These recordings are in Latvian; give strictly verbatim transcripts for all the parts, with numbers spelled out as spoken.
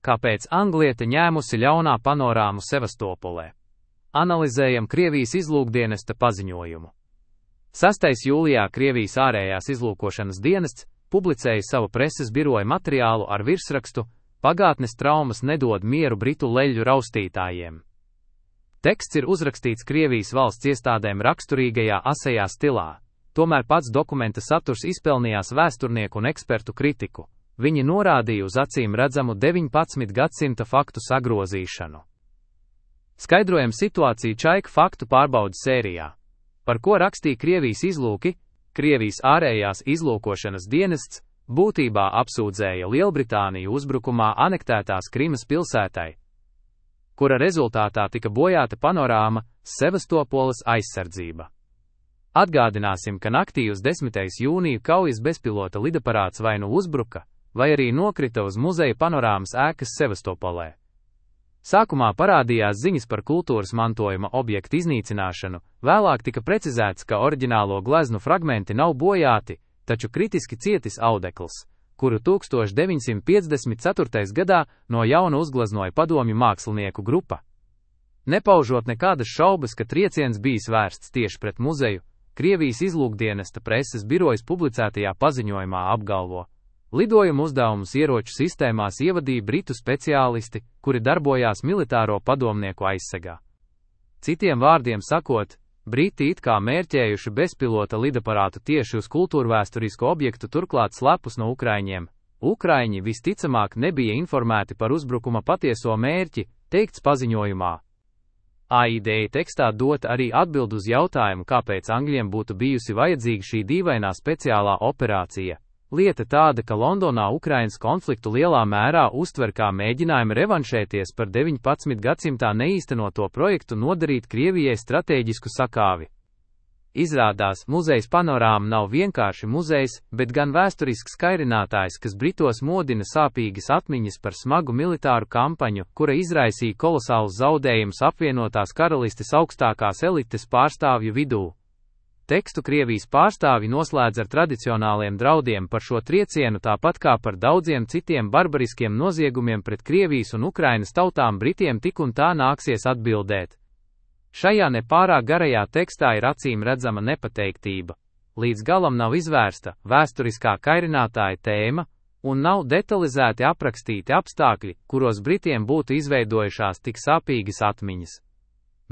Kāpēc Angliete ņēmusi ļaunā panorāmu Sevastopolē? Analizējam Krievijas izlūkdienesta paziņojumu. sastā jūlijā Krievijas ārējās izlūkošanas dienests publicēja savu preses biroja materiālu ar virsrakstu "Pagātnes traumas nedod mieru britu leļļu raustītājiem". Teksts ir uzrakstīts Krievijas valsts iestādēm raksturīgajā asajā stilā, tomēr pats dokumenta saturs izpelnījās vēsturnieku un ekspertu kritiku. Viņi norādīja uz acīm redzamu deviņpadsmitā gadsimta faktu sagrozīšanu. Skaidrojam situāciju Čaika faktu pārbaudes sērijā. Par ko rakstīja Krievijas izlūki? Krievijas ārējās izlūkošanas dienests būtībā apsūdzēja Lielbritāniju uzbrukumā anektētās Krimas pilsētai, kura rezultātā tika bojāta panorāma Sevastopoles aizsardzība. Atgādināsim, ka naktī uz desmitais jūniju kaujas bezpilota lidaparāts vai nu uzbruka, vai arī nokrita uz muzeja panorāmas ēkas Sevastopolē. Sākumā parādījās ziņas par kultūras mantojuma objektu iznīcināšanu, vēlāk tika precizēts, ka oriģinālo gleznu fragmenti nav bojāti, taču kritiski cietis audekls, kuru tūkstoš deviņsimt piecdesmit ceturtajā gadā no jauna uzgleznoja padomju mākslinieku grupa. Nepaužot nekādas šaubas, ka trieciens bijis vērsts tieši pret muzeju, Krievijas izlūkdienesta preses birojas publicētajā paziņojumā apgalvo: lidojumu uzdevumus ieroču sistēmās ievadīja britu speciālisti, kuri darbojās militāro padomnieku aizsegā. Citiem vārdiem sakot, briti it kā mērķējuši bezpilota lidaparātu tieši uz kultūrvēsturisku objektu, turklāt slepus no ukraiņiem. Ukraiņi visticamāk nebija informēti par uzbrukuma patieso mērķi, teikts paziņojumā. A I D tekstā dota arī atbild uz jautājumu, kāpēc Angļiem būtu bijusi vajadzīga šī dīvainā speciālā operācija. Lieta tāda, ka Londonā Ukrainas konfliktu lielā mērā uztver kā mēģinājumu revanšēties par deviņpadsmitā gadsimtā neīstenoto projektu nodarīt Krievijai stratēģisku sakāvi. Izrādās, muzejs panorāma nav vienkārši muzejs, bet gan vēsturisks kairinātājs, kas Britos modina sāpīgas atmiņas par smagu militāru kampaņu, kura izraisīja kolosālus zaudējumus apvienotās karalistes augstākās elites pārstāvju vidū. Tekstu Krievijas pārstāvi noslēdz ar tradicionāliem draudiem par šo triecienu, tāpat kā par daudziem citiem barbariskiem noziegumiem pret Krievijas un Ukrainas tautām Britiem tik un tā nāksies atbildēt. Šajā nepārāk garajā tekstā ir acīm redzama nepateiktība. Līdz galam nav izvērsta vēsturiskā kairinātāja tēma, un nav detalizēti aprakstīti apstākļi, kuros Britiem būtu izveidojušās tik sāpīgas atmiņas.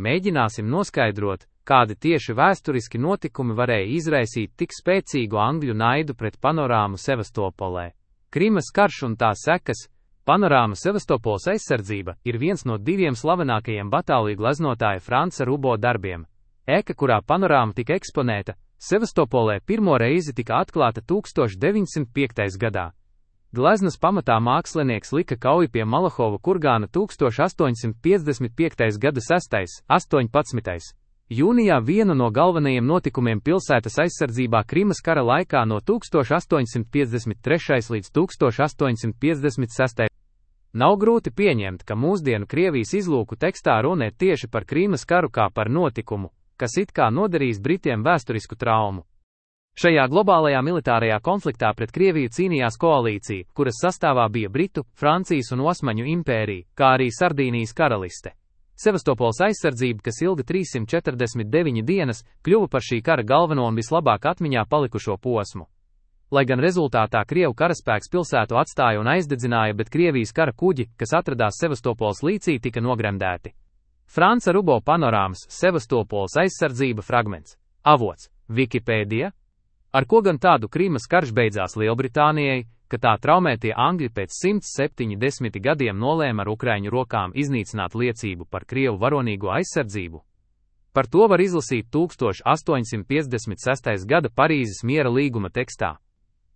Mēģināsim noskaidrot, kādi tieši vēsturiski notikumi varēja izraisīt tik spēcīgu angļu naidu pret panorāmu Sevastopolē. Krimas karš un tā sekas. Panorāma Sevastopoles aizsardzība ir viens no diviem slavenākajiem batāliju gleznotāja Franca Rubo darbiem. Ēka, kurā panorāma tika eksponēta, Sevastopolē pirmo reizi tika atklāta tūkstoš deviņsimt piektajā gadā. Gleznas pamatā mākslinieks lika kauju pie Malahova kurgāna tūkstoš astoņsimt piecdesmit piektajā gada sestajā un astoņpadsmitajā jūnijā vienu no galvenajiem notikumiem pilsētas aizsardzībā Krimas kara laikā no tūkstoš astoņsimt piecdesmit trešajā līdz tūkstoš astoņsimt piecdesmit sestajā Nav grūti pieņemt, ka mūsdienu Krievijas izlūku tekstā runē tieši par Krimas karu kā par notikumu, kas it kā nodarījis Britiem vēsturisku traumu. Šajā globālajā militārajā konfliktā pret Krieviju cīnījās koalīcija, kuras sastāvā bija Britu, Francijas un Osmaņu impērija, kā arī Sardīnijas karaliste. Sevastopoles aizsardzība, kas ilga trīssimt četrdesmit deviņas dienas, kļuva par šī kara galveno un vislabāk atmiņā palikušo posmu. Lai gan rezultātā Krievu karaspēks pilsētu atstāja un aizdedzināja, bet Krievijas kara kuģi, kas atradās Sevastopoles līcī, tika nogremdēti. Franca Rubo panorāmas Sevastopoles aizsardzība fragments. Avots – Wikipēdija. Ar ko gan tādu Krimas karš beidzās Lielbritānijai, ka tā traumētie angļi pēc simts septiņdesmit gadiem nolēma ar ukraiņu rokām iznīcināt liecību par Krievu varonīgo aizsardzību? Par to var izlasīt tūkstoš astoņsimt piecdesmit sestajā gada Parīzes miera līguma tekstā.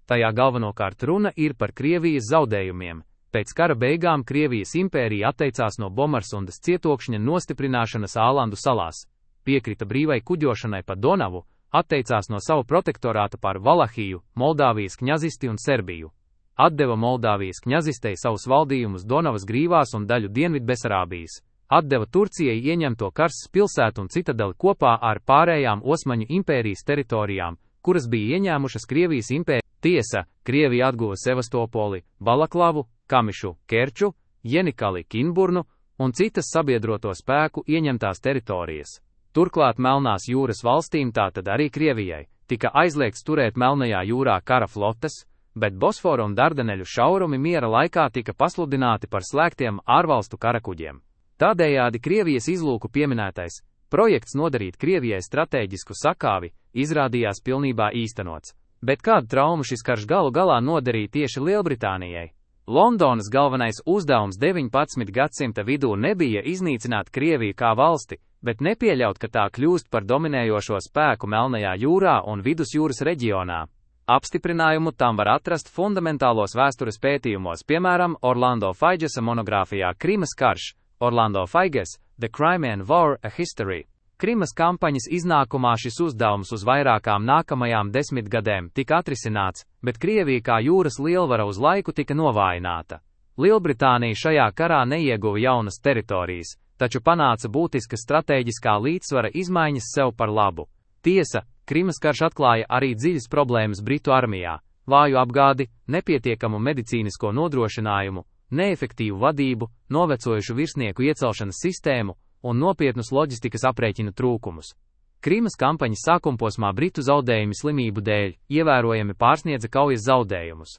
Tajā galvenokārt runa ir par Krievijas zaudējumiem. Pēc kara beigām Krievijas impērija atteicās no Bomarsundas cietokšņa nostiprināšanas Ālandu salās, piekrita brīvai kuģošanai pa Donavu, atteicās no sava protektorāta pār Valahiju, Moldāvijas kņazisti un Serbiju. Atdeva Moldāvijas kņazistei savus valdījumus Donavas grīvās un daļu Dienvidbesarābijas. Atdeva Turcijai ieņemto Karsas pilsētu un citadeli kopā ar pārējām Osmaņu impērijas teritorijām, kuras bija ieņēmušas Krievijas impērija. Tiesa, Krievija atguva Sevastopoli, Balaklavu, Kamišu, Kerču, Jenikali, Kinburnu un citas sabiedroto spēku ieņemtās teritorijas. Turklāt Melnās jūras valstīm, tātad arī Krievijai, tika aizliegts turēt Melnajā jūrā kara flotes, bet Bosfora un Dardaneļu šaurumi miera laikā tika pasludināti par slēgtiem ārvalstu karakuģiem. Tādējādi Krievijas izlūku pieminētais projekts nodarīt Krievijai stratēģisku sakāvi izrādījās pilnībā īstenots. Bet kādu traumu šis karš galu galā nodarīja tieši Lielbritānijai? Londonas galvenais uzdevums deviņpadsmitā gadsimta vidū nebija iznīcināt Krieviju kā valsti, bet nepieļaut, ka tā kļūst par dominējošo spēku Melnajā jūrā un Vidusjūras reģionā. Apstiprinājumu tam var atrast fundamentālos vēstures pētījumos, piemēram, Orlando Faigesa monogrāfijā Krimas karš, Orlando Faiges, The Crimean War, A History. Krimas kampaņas iznākumā šis uzdevums uz vairākām nākamajām desmitgadēm tika atrisināts, bet Krievija kā jūras lielvara uz laiku tika novājināta. Lielbritānija šajā karā neieguva jaunas teritorijas, taču panāca būtiskas stratēģiskā līdzsvara izmaiņas sev par labu. Tiesa, Krimas karš atklāja arī dziļas problēmas Britu armijā - vāju apgādi, nepietiekamu medicīnisko nodrošinājumu, neefektīvu vadību, novecojušu virsnieku iecelšanas sistēmu un nopietnus loģistikas aprēķinu trūkumus. Krimas kampaņas sākumposmā Britu zaudējumi slimību dēļ ievērojami pārsniedza kaujas zaudējumus.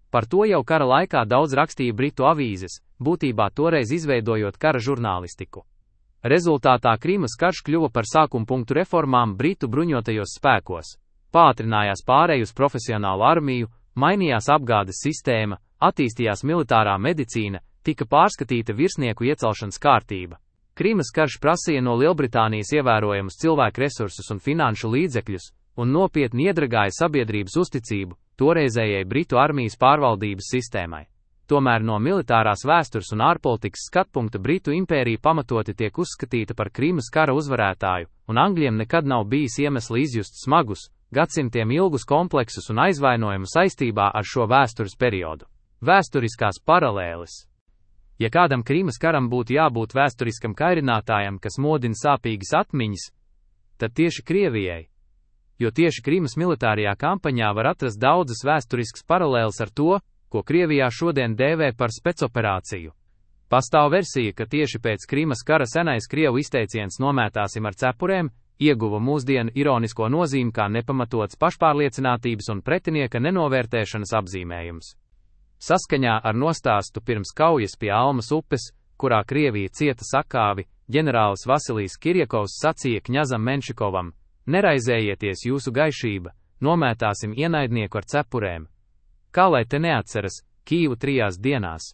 Par to jau kara laikā daudz rakstīja Britu avīzes, būtībā toreiz izveidojot kara žurnālistiku. Rezultātā Krimas karš kļuva par sākuma punktu reformām Britu bruņotajos spēkos. Pātrinājās pārēj uz profesionālu armiju, mainījās apgādes sistēma, attīstījās militārā medicīna, tika pārskatīta virsnieku iecelšanas kārtība. Krimas karš prasīja no Lielbritānijas ievērojamus cilvēku resursus un finanšu līdzekļus, un nopietni iedragāja sabiedrības uzticību toreizējai Britu armijas pārvaldības sistēmai. Tomēr no militārās vēstures un ārpolitikas skatpunkta Britu impērija pamatoti tiek uzskatīta par Krimas kara uzvarētāju, un Angļiem nekad nav bijis iemesli izjust smagus, gadsimtiem ilgus kompleksus un aizvainojumu saistībā ar šo vēstures periodu. Vēsturiskās paralēles. Ja kādam Krimas karam būtu jābūt vēsturiskam kairinātājam, kas modina sāpīgas atmiņas, tad tieši Krievijai. Jo tieši Krimas militārajā kampaņā var atrast daudzas vēsturiskas paralēles ar to, ko Krievijā šodien dēvē par spēcoperāciju. Pastāv versija, ka tieši pēc Krimas kara senais Krievu izteiciens "nomētāsim ar cepurēm" ieguva mūsdienu ironisko nozīmi kā nepamatots pašpārliecinātības un pretinieka nenovērtēšanas apzīmējums. Saskaņā ar nostāstu pirms kaujas pie Almas upes, kurā Krievija cieta sakāvi, ģenerālis Vasilijs Kirjakovs sacīja kņazam Menšikovam: "Neraizējieties, jūsu gaišība, nomētāsim ienaidnieku ar cepurēm." Kā lai te neatceras Kīvu trijās dienās?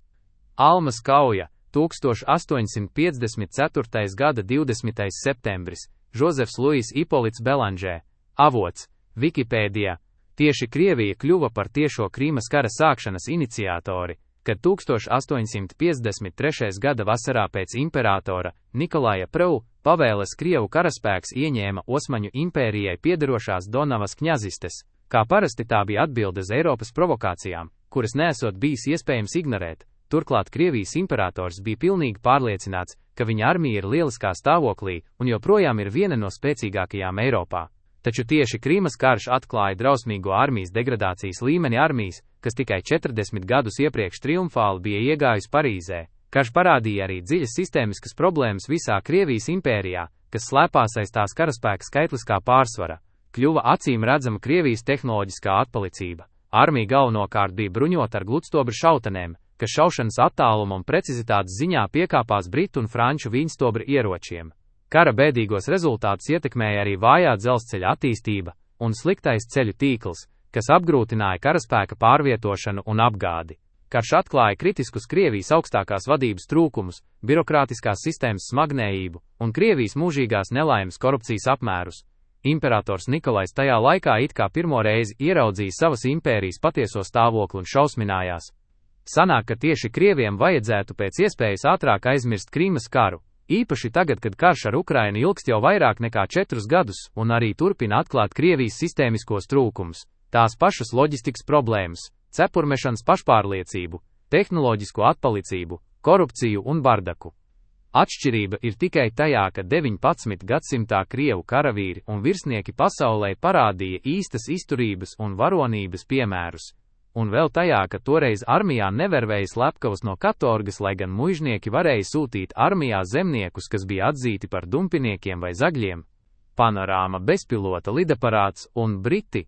Almas kauja, tūkstoš astoņsimt piecdesmit ceturtais gada divdesmitais septembris, Žozefs Luis Ipolits Belanžē, avots, Wikipēdijā. Tieši Krievija kļuva par tiešo Krimas kara sākšanas iniciatori, kad tūkstoš astoņsimt piecdesmit trešais gada vasarā pēc imperatora Nikolaja Prvu pavēles Krievu karaspēks ieņēma Osmaņu impērijai piederošās Donavas kņazistes. Kā parasti tā bija atbilde uz Eiropas provokācijām, kuras nesot bijis iespējams ignorēt. Turklāt Krievijas imperators bija pilnīgi pārliecināts, ka viņa armija ir lieliskā stāvoklī un joprojām ir viena no spēcīgākajām Eiropā. Taču tieši Krimas karš atklāja drausmīgo armijas degradācijas līmeni armijas, kas tikai četrdesmit gadus iepriekš triumfāli bija iegājusi Parīzē. Karš parādīja arī dziļas sistēmiskas problēmas visā Krievijas impērijā, kas slēpās aiz tās karaspēka skaitliskā pārsvara. Kļuva acīm redzama Krievijas tehnoloģiskā atpalicība. Armija galvenokārt bija bruņota ar gludstobra šautenēm, kas šaušanas attāluma un precizitātes ziņā piekāpās britu un franču viņstobra ieročiem. Kara bēdīgos rezultātus ietekmēja arī vājā dzelzceļa attīstība un sliktais ceļu tīkls, kas apgrūtināja karaspēka pārvietošanu un apgādi. Karš atklāja kritiskus Krievijas augstākās vadības trūkumus, birokrātiskās sistēmas smagnējību un Krievijas mūžīgās nelaimes korupcijas apmērus. Imperators Nikolais tajā laikā it kā pirmo reizi ieraudzīja savas impērijas patieso stāvokli un šausminājās. Sanāk, ka tieši Krieviem vajadzētu pēc iespējas ātrāk aizmirst Krimas karu. Īpaši tagad, kad karš ar Ukrainu ilgst jau vairāk nekā četrus gadus un arī turpina atklāt Krievijas sistēmiskos trūkumus, tās pašas loģistikas problēmas, cepurmešanas pašpārliecību, tehnoloģisko atpalicību, korupciju un bardaku. Atšķirība ir tikai tajā, ka deviņpadsmitā gadsimtā Krievu karavīri un virsnieki pasaulē parādīja īstas izturības un varonības piemērus. un vēl tajā, ka toreiz armijā nevervēja slepkavus no katorgas, lai gan muižnieki varēja sūtīt armijā zemniekus, kas bija atzīti par dumpiniekiem vai zagļiem. Panorāma bezpilota lidaparāts un Briti.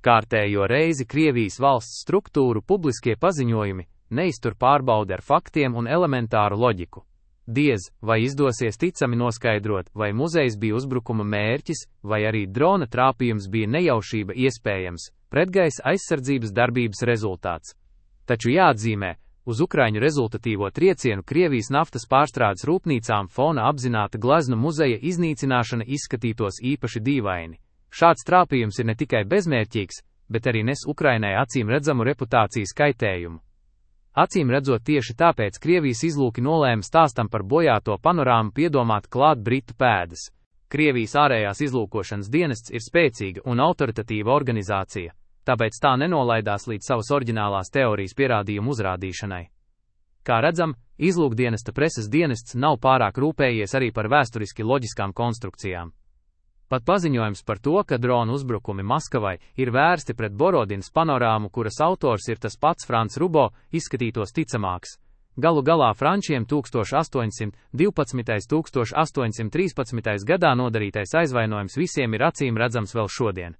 Kārtējo reizi Krievijas valsts struktūru publiskie paziņojumi neiztur pārbaudi ar faktiem un elementāru loģiku. Diez, vai izdosies ticami noskaidrot, vai muzejs bija uzbrukuma mērķis, vai arī drona trāpījums bija nejaušība iespējams, pretgaisa aizsardzības darbības rezultāts. Taču jāatzīmē, uz Ukraiņu rezultatīvo triecienu Krievijas naftas pārstrādes rūpnīcām fona apzināta gleznu muzeja iznīcināšana izskatītos īpaši dīvaini. Šāds trāpījums ir ne tikai bezmērķīgs, bet arī nes Ukrainai acīm redzamu reputācijas kaitējumu. Acīm redzot, tieši tāpēc Krievijas izlūki nolēma stāstam par bojāto panorāmu piedomāt klāt Britu pēdas. Krievijas ārējās izlūkošanas dienests ir spēcīga un autoritatīva organizācija, tāpēc tā nenolaidās līdz savas oriģinālās teorijas pierādījumu uzrādīšanai. Kā redzam, izlūkdienesta preses dienests nav pārāk rūpējies arī par vēsturiski loģiskām konstrukcijām. Pat paziņojums par to, ka drona uzbrukumi Maskavai ir vērsti pret Borodinas panorāmu, kuras autors ir tas pats Frants Rubo, izskatītos ticamāks. Galu galā frančiem tūkstoš astoņsimt divpadsmitais - tūkstoš astoņsimt trīspadsmitais gadā nodarītais aizvainojums visiem ir acīm redzams vēl šodien.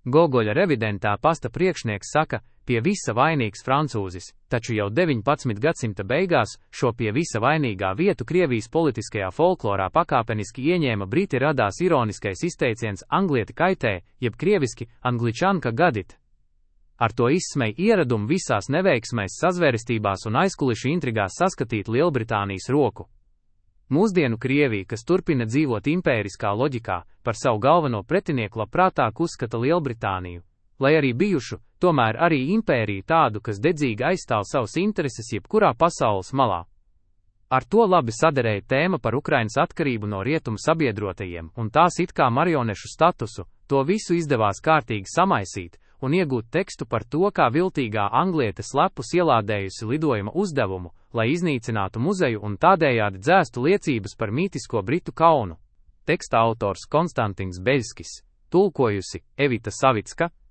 Gogoļa revidentā pasta priekšnieks saka, pie visa vainīgs francūzis, taču jau deviņpadsmitā gadsimta beigās šo pie visa vainīgā vietu Krievijas politiskajā folklorā pakāpeniski ieņēma Briti, radās ironiskais izteiciens Anglieti kaitē, jeb krieviski Angličanka gadit. Ar to izsmej ieradumu visās neveiksmēs, sazvērestībās un aizkulišu intrigās saskatīt Lielbritānijas roku. Mūsdienu Krievija, kas turpina dzīvot impēriskā loģikā, par savu galveno pretinieku labprātāk uzskata Lielbritāniju, lai arī bijušu, tomēr arī impēriju tādu, kas dedzīgi aizstāv savus intereses jebkurā pasaules malā. Ar to labi saderēja tēma par Ukrainas atkarību no rietumu sabiedrotajiem un tās it kā marionešu statusu, to visu izdevās kārtīgi samaisīt un iegūt tekstu par to, kā viltīgā angliete slepus ielādējusi lidojuma uzdevumu, lai iznīcinātu muzeju un tādējādi dzēstu liecības par mītisko Britu kaunu. Teksta autors Konstantins Beļskis, tulkojusi Evita Savicka,